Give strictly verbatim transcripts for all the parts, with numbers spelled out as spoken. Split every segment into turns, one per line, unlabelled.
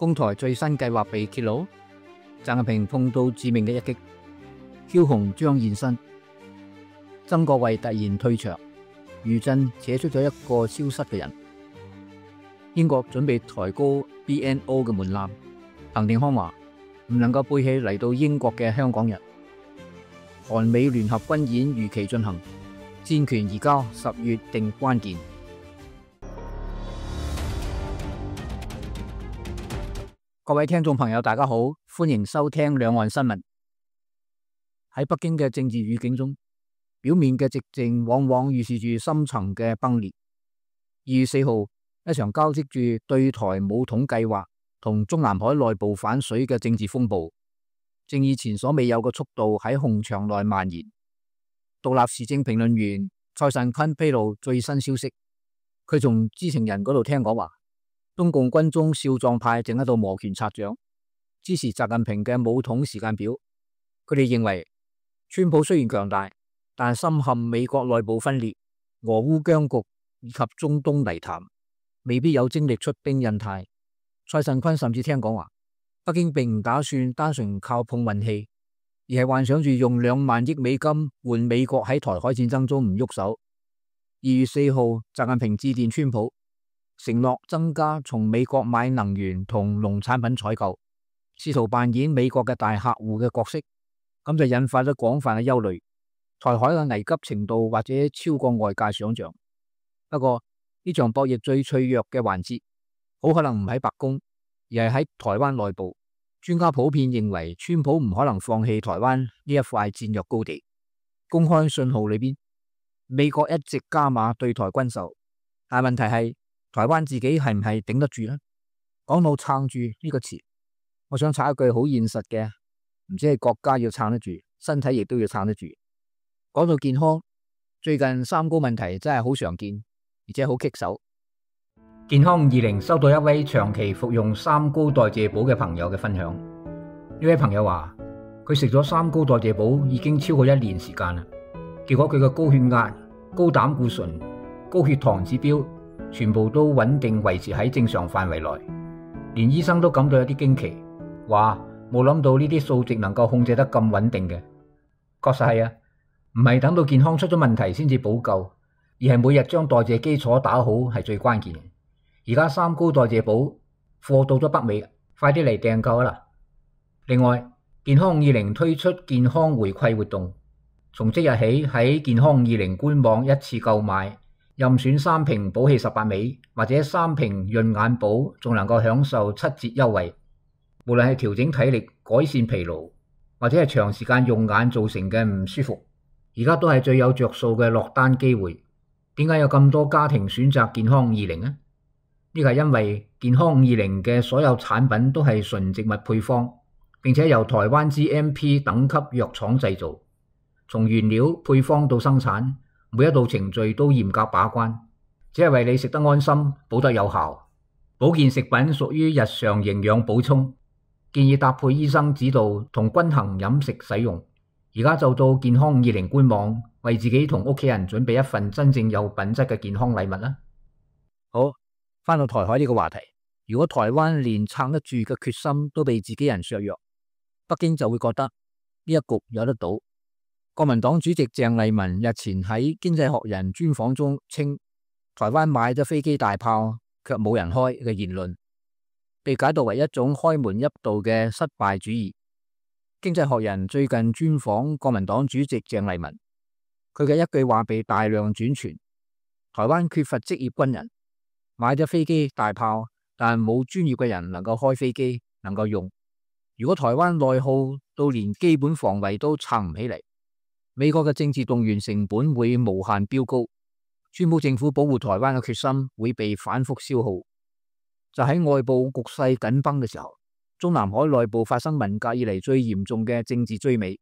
攻台最新計劃被揭露，習近平碰到致命嘅一擊，梟雄將現身。曾國衛突然退場，餘震扯出咗一個消失嘅人。英國準備抬高 B N O 嘅門檻，彭定康話唔能夠背棄嚟到英國嘅香港人。韓美聯合軍演如期進行，戰權移交十月定關鍵。各位聽眾朋友大家好，歡迎收聽兩岸新聞。喺北京嘅政治語境中，表面嘅寂靜往往預示住深層嘅崩裂。二月四號，一場交織住對台武統計劃同中南海內部反水嘅政治風暴，正以前所未有嘅速度喺紅牆內蔓延。獨立時政評論員蔡慎坤披露最新消息，佢從知情人嗰度聽講話，中共軍中少壯派正喺度摩拳擦掌，支持習近平嘅武統時間表。佢哋認為，川普雖然強大，但深陷美國內部分裂、俄烏僵局以及中東泥潭，未必有精力出兵印太。蔡慎坤甚至聽講話，北京並唔打算單純靠碰運氣，而係幻想住用兩萬億美金換美國喺台海戰爭中唔喐手。二月四號，習近平致電川普，承諾增加從美國買能源同農產品採購，試圖扮演美國嘅大客戶嘅角色，咁就引發咗廣泛嘅憂慮。台海嘅危急程度或者超過外界想象。不過呢場博弈最脆弱嘅環節，好可能唔喺白宮，而係喺台灣內部。專家普遍認為，川普唔可能放棄台灣呢一塊戰略高地。公開信號裏邊，美國一直加碼對台軍售，但問題係台灣自己係唔係頂得住呢？講到撐住呢個詞，我想插一句好現實嘅，唔止係國家要撐得住，身體亦都要撐得住。講到健康，最近三高問題真係好常見，而且好棘手。健康二零收到一位長期服用三高代謝寶嘅朋友嘅分享。呢位朋友話，佢食咗三高代謝寶已經超過一年時間啦，結果佢嘅高血壓、高膽固醇、高血糖指標全部都穩定維持喺正常範圍內，連醫生都感到有啲驚奇，話冇諗到呢啲數值能夠控制得咁穩定嘅。確實係啊，唔係等到健康出咗問題先至補救，而係每日將代謝基礎打好係最關鍵嘅。而家三高代謝寶貨到咗北美，快啲嚟訂購啦！另外，健康二零推出健康回饋活動，從即日起喺健康二零官網一次購買，任選三瓶寶氣十八味或者三瓶潤眼寶，仲能夠享受七折優惠。無論係調整體力、改善疲勞，或者係長時間用眼造成嘅唔舒服，而家都係最有着數嘅落單機會。點解有咁多家庭選擇健康二零呢？呢個係因為健康二零嘅所有產品都係純植物配方，並且由台灣 G M P 等級藥廠製造，從原料配方到生產，每一道程序都嚴格把關，只係為你食得安心，補得有效。保健食品屬於日常營養補充，建議搭配醫生指導同均衡飲食使用。而家就到健康二零官網，為自己同屋企人準備一份真正有品質嘅健康禮物啦。好，翻到台海呢個話題，如果台灣連撐得住嘅決心都被自己人削弱，北京就會覺得呢一局有得賭。國民黨主席鄭麗文日前喺《經濟學人》專訪中稱，台灣買咗飛機大炮卻冇人開嘅言論，被解讀為一種開門一度嘅失敗主義。經濟學人最近專訪國民黨主席鄭麗文，佢嘅一句話被大量轉傳：台灣缺乏職業軍人，買咗飛機大炮，但冇專業嘅人能夠開飛機，能夠用。如果台灣內耗到連基本防衛都撐唔起嚟，美國嘅政治動員成本會無限飆高，川普政府保護台灣嘅決心會被反覆消耗。就喺外部局勢緊繃嘅時候，中南海內部發生文革以嚟最嚴重嘅政治追尾。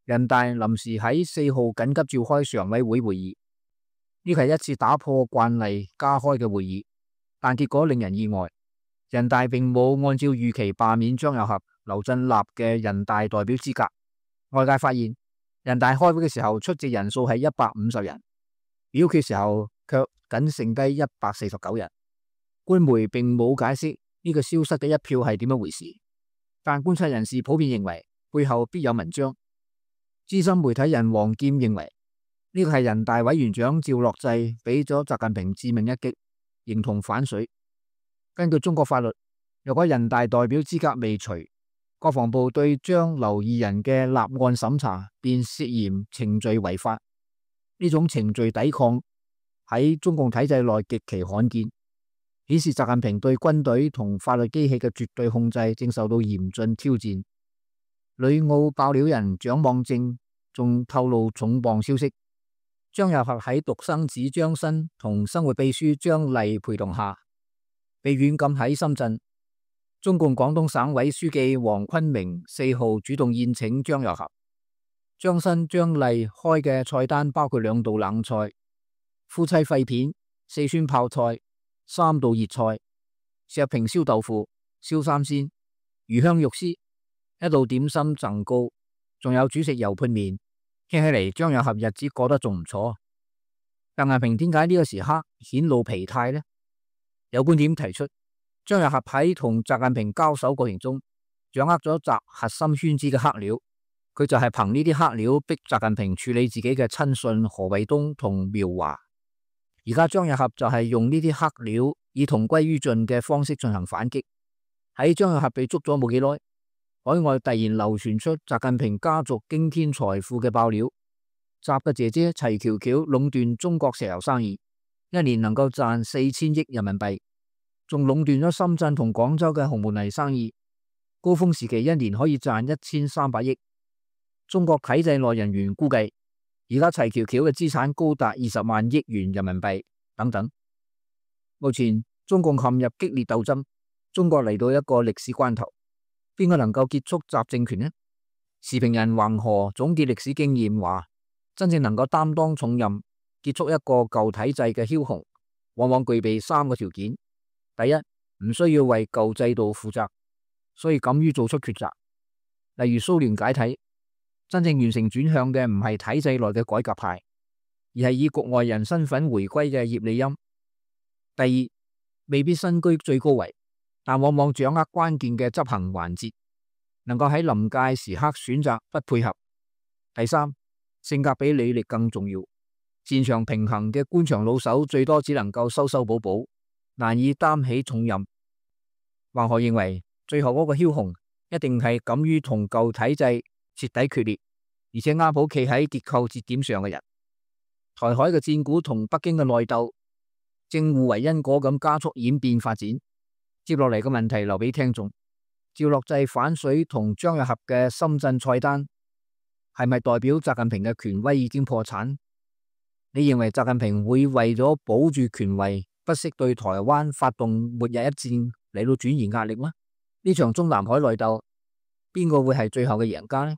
人大臨時喺四號緊急召開常委會會議，呢個係一次打破慣例加開嘅會議，但結果令人意外。人大並冇按照預期罷免張又俠、劉振立嘅人大代表資格。外界發現，人大開會嘅時候出席人數係一百五十人，表決時候卻僅剩低一百四十九人。官媒並冇解釋呢個消失嘅一票係點樣回事，但觀察人士普遍認為背後必有文章。資深媒體人王劍認為呢個係人大委員長趙樂際俾咗習近平致命一擊，形同反水。根據中國法律，若果人大代表資格未除，國防部對張劉二人嘅立案審查便涉嫌程序違法。呢種程序抵抗喺中共體制內極其罕見，顯示習近平對軍隊同法律機器嘅絕對控制正受到嚴峻挑戰。旅澳爆料人蔣望正仲透露重磅消息，張又俠喺獨生子張新同生活秘書張麗陪同下，被軟禁喺深圳。中共廣東省委書記黃坤明四號主動宴請張又俠。張新、張麗開嘅菜單包括兩道冷菜、夫妻肺片、四川泡菜、三道熱菜、石平燒豆腐、燒三鮮、魚香肉絲，一道點心贈糕，仲有主食油潑麵。聽起嚟張又俠日子過得仲唔錯。習近平點解呢個時刻顯露疲態呢？有觀點提出，張又俠喺同習近平交手過程中，掌握咗習核心圈子嘅黑料，佢就係憑呢啲黑料逼習近平處理自己嘅親信何衛東同苗華。而家張又俠就係用呢啲黑料，以同歸於盡嘅方式進行反擊。喺張又俠被捉咗冇幾耐，海外突然流傳出習近平家族驚天財富嘅爆料。習嘅姐姐齊喬喬壟斷中國石油生意，一年能夠賺四千億人民幣。仲壟斷咗深圳同廣州嘅紅毛泥生意，高峰時期一年可以賺一千三百億。中國體制內人員估計，而家齊喬喬嘅資產高達二十萬億元人民幣等等。目前中共陷入激烈鬥爭，中國嚟到一個歷史關頭，邊個能夠結束習政權呢？時評人橫河總結歷史經驗話，真正能夠擔當重任、結束一個舊體制嘅梟雄，往往具備三個條件。第一，唔需要為舊制度負責，所以敢於做出抉擇。例如蘇聯解體，真正完成轉向嘅唔係體制內嘅改革派，而係以局外人身份回歸嘅葉利欽。第二，未必身居最高位，但往往掌握關鍵嘅執行環節，能夠喺臨界時刻選擇不配合。第三，性格比履歷更重要，擅長平衡嘅官場老手最多只能夠修修補補，難以擔起重任。橫河認為，最後嗰個梟雄一定係敢於同舊體制徹底決裂，而且啱好企喺結構節點上嘅人。台海嘅戰鼓同北京嘅內鬥正互為因果咁加速演變發展。接落嚟嘅問題留俾聽眾：趙樂際反水同張又俠嘅深圳菜單係咪代表習近平嘅權威已經破產？你認為習近平會為咗保住權位，不惜對台灣發動末日一戰嚟到轉移壓力嗎？呢場中南海內鬥，邊個會係最後嘅贏家呢？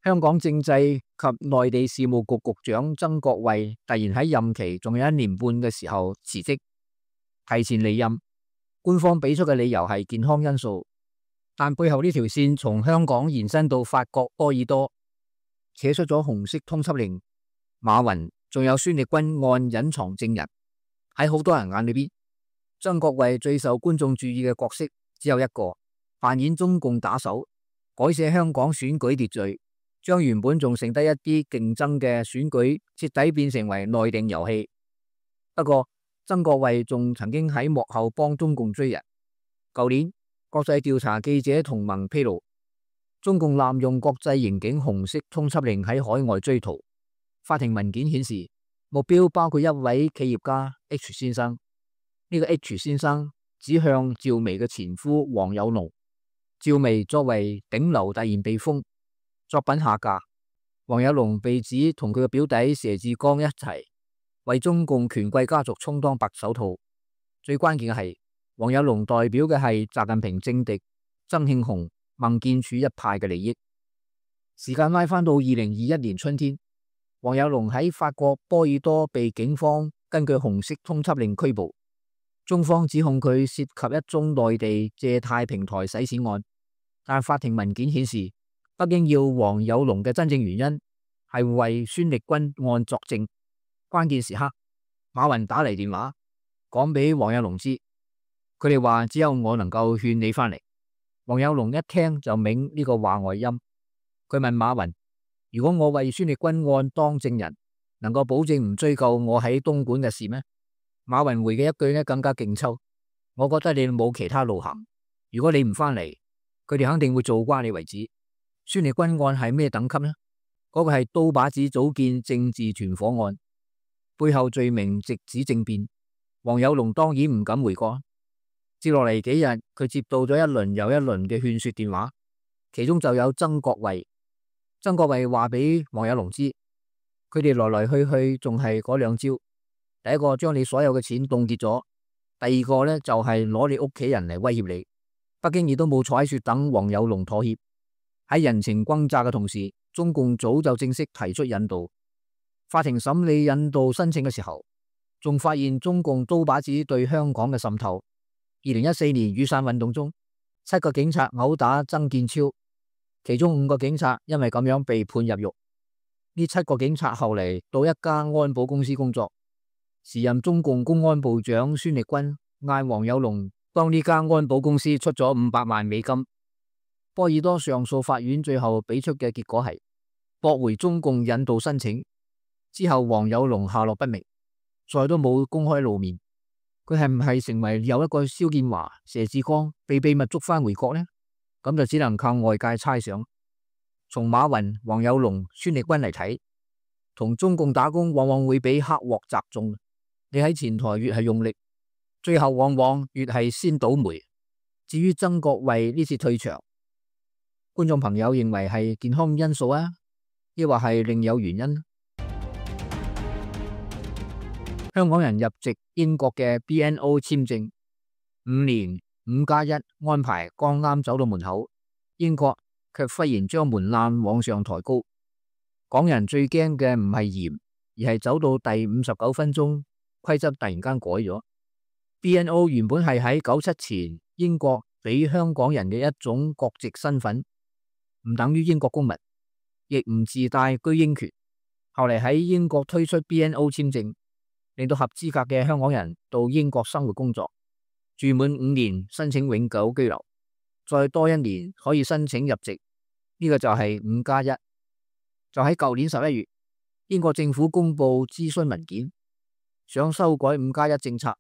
香港政制及內地事務局局長曾國衛突然喺任期仲有一年半嘅時候辭職，提前離任。官方俾出嘅理由係健康因素，但背後呢條線從香港延伸到法國波爾多，扯出咗紅色通緝令。馬雲仲有孫力軍案隱藏證人，喺好多人眼裏邊，曾國衛最受觀眾注意嘅角色只有一個，扮演中共打手，改寫香港選舉秩序，將原本仲剩低一啲競爭嘅選舉徹底變成為內定遊戲。不過曾國衛仲曾經喺幕後幫中共追人。舊年國際調查記者同盟披露，中共濫用國際刑警紅色通緝令喺海外追逃。法庭文件顯示，目標包括一位企業家 H 先生。呢個 H 先生指向趙薇嘅前夫黃有龍。趙薇作為頂流突然被封，作品下架。黃有龍被指同佢嘅表弟佘志剛一齊為中共權貴家族充當白手套。最關鍵嘅係，黃有龍代表嘅係習近平政敵曾慶紅、孟建柱一派嘅利益。時間拉返到二零二一年春天，黃有龍喺法國波爾多被警方根據紅色通緝令拘捕。中方指控佢涉及一宗內地借貸平台洗錢案，但法庭文件顯示，北京要黃有龍嘅真正原因係為孫力軍案作證。關鍵時刻，馬雲打嚟電話，講俾黃有龍知。佢哋話只有我能夠勸你翻嚟。黃有龍一聽就明呢個話外音。佢問馬雲：如果我為孫力軍案當證人，能夠保證唔追究我喺東莞嘅事咩？馬雲回嘅一句呢更加勁抽：我覺得你冇其他路行。如果你唔翻嚟，佢哋肯定會做瓜你為止。孫力軍案係咩等級呢？嗰、那個係刀把子組建政治團伙案，背後罪名直指政變。黃有龍當然唔敢回國。接落嚟幾日，佢接到咗一輪又一輪嘅勸說電話，其中就有曾國衛。曾國衛話俾黃有龍知，佢哋來來去去仲係嗰兩招。第一個將你所有嘅錢凍結咗，第二個呢，就係攞你屋企人嚟威脅你。北京亦都冇坐喺雪等黃有龍妥協。喺人情轟炸嘅同時，中共早就正式提出引渡。法庭審理引渡申請嘅時候，仲發現中共刀把子對香港嘅滲透。二零一四年雨傘運動中，七個警察毆打曾健超，其中五個警察因為咁樣被判入獄。呢七個警察後嚟到一家安保公司工作，時任中共公安部長孫力軍嗌黃有龍當呢間安保公司出咗五百萬美金。波爾多上訴法院最後俾出嘅結果係駁回中共引渡申請。之後黃有龍下落不明，再都冇公開露面。佢係唔係成為又一個蕭建華、佘志剛被秘密捉翻回國呢？咁就只能靠外界猜想。從馬雲、黃有龍、孫力軍嚟睇，同中共打工往往會比黑鑊砸中。你喺前台越係用力，最後往往越係先倒霉。至於曾國衛呢次退場，觀眾朋友認為係健康因素啊，抑或係另有原因？香港人入籍英國嘅 B N O 簽證五年五加一安排剛啱走到門口，英國卻忽然將門檻往上抬高。港人最驚嘅唔係嚴，而係走到第五十九分鐘，規則突然間改咗。B N O 原本係喺九七前英國俾香港人嘅一種國籍身份，唔等於英國公民，亦唔自帶居英權。後嚟喺英國推出 B N O 簽證，令到合資格嘅香港人到英國生活工作，住滿五年申請永久居留，再多一年可以申請入籍。呢、這個就係五加一。就喺舊年十一月，英國政府公布諮詢文件，想修改五加一政策，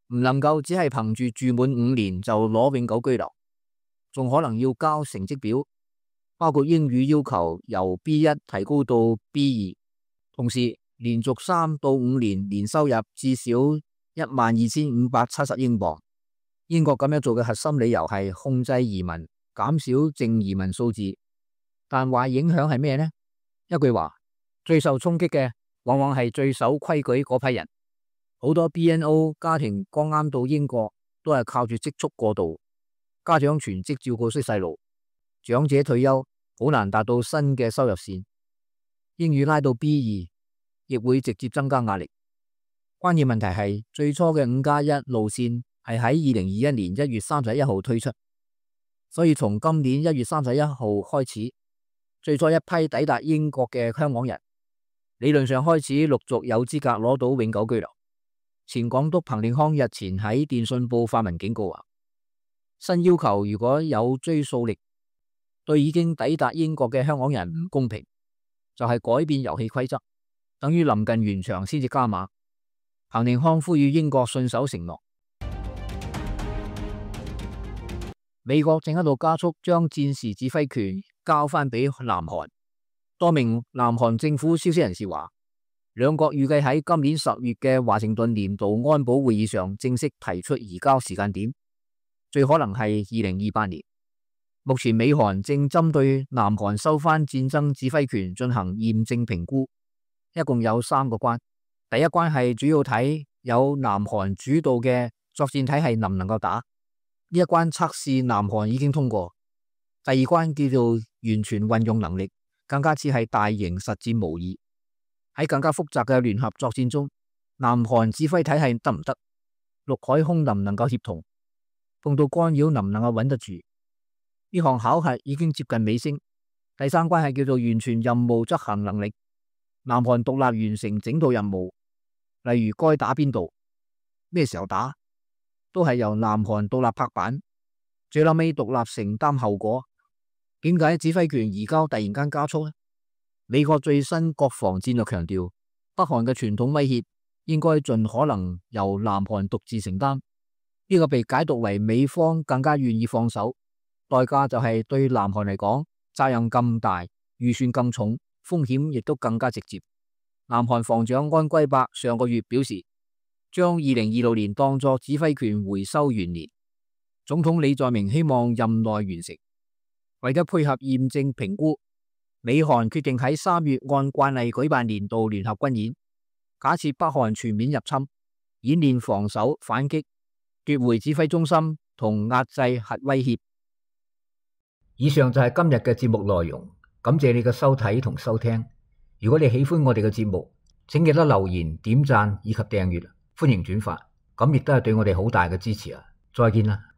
唔能夠只係憑住住滿五年就攞永久居留，仲可能要交成績表，包括英語要求由 B 一 提高到 B 二，同時連續三到五年年收入至少一萬二千五百七十英鎊。英國咁樣做嘅核心理由係控制移民，減少淨移民數字。但壞影響係咩呢？一句話，最受衝擊嘅往往係最守規矩嗰批人。好多 B N O 家庭剛啱到英國，都係靠住積蓄過渡，家長全職照顧識細路，長者退休好難達到新嘅收入線。英語拉到 B 二，亦會直接增加壓力。關鍵問題係最初嘅五加一路線係喺二零二一年一月三十一號推出，所以從今年一月三十一號開始，最初一批抵達英國嘅香港人理論上開始陸續有資格攞到永久居留。前港督彭定康日前喺電訊報發文警告話，新要求如果有追溯力，對已經抵達英國嘅香港人唔公平，就係改變遊戲規則，等於臨近完場先至加碼。彭定康呼籲英國信守承諾。美國正喺度加速將戰時指揮權交翻俾南韓。多名南韓政府消息人士話，兩國預計喺今年十月嘅華盛頓年度安保會議上正式提出移交時間點，最可能係二零二八年。目前美韓正針對南韓收翻戰爭指揮權進行驗證評估，一共有三個關。第一關係主要睇有南韓主導嘅作戰體系能唔能夠打，呢一關測試南韓已經通過。第二關叫做完全運用能力，更加似係大型實戰模擬。喺更加複雜嘅聯合作戰中，南韓指揮體系得唔得？陸海空能唔能夠協同？碰到干擾能唔能夠穩得住？呢項考核已經接近尾聲。第三關係叫做完全任務執行能力，南韓獨立完成整套任務，例如該打邊度。咩時候打，都係由南韓獨立拍板，最後尾獨立承擔後果。點解指揮權移交突然間加速呢？美國最新國防戰略強調，北韓嘅傳統威脅應該盡可能由南韓獨自承擔。呢個被解讀為美方更加願意放手，代價就係對南韓嚟講，責任咁大，預算咁重，風險亦都更加直接。南韓防長安圭伯上個月表示，將二零二六年當作指揮權回收元年。總統李在明希望任內完成。為咗配合驗證評估，美韓決定喺三月按慣例舉辦年度聯合軍演，假設北韓全面入侵，演練防守反擊、奪回指揮中心同壓制核威脅。以上就係今日嘅節目內容，感謝你嘅收睇同收聽。如果你喜歡我哋嘅節目，請記得留言、點讚以及訂閱，歡迎轉發，咁亦都係對我哋好大嘅支持啊！再見啦！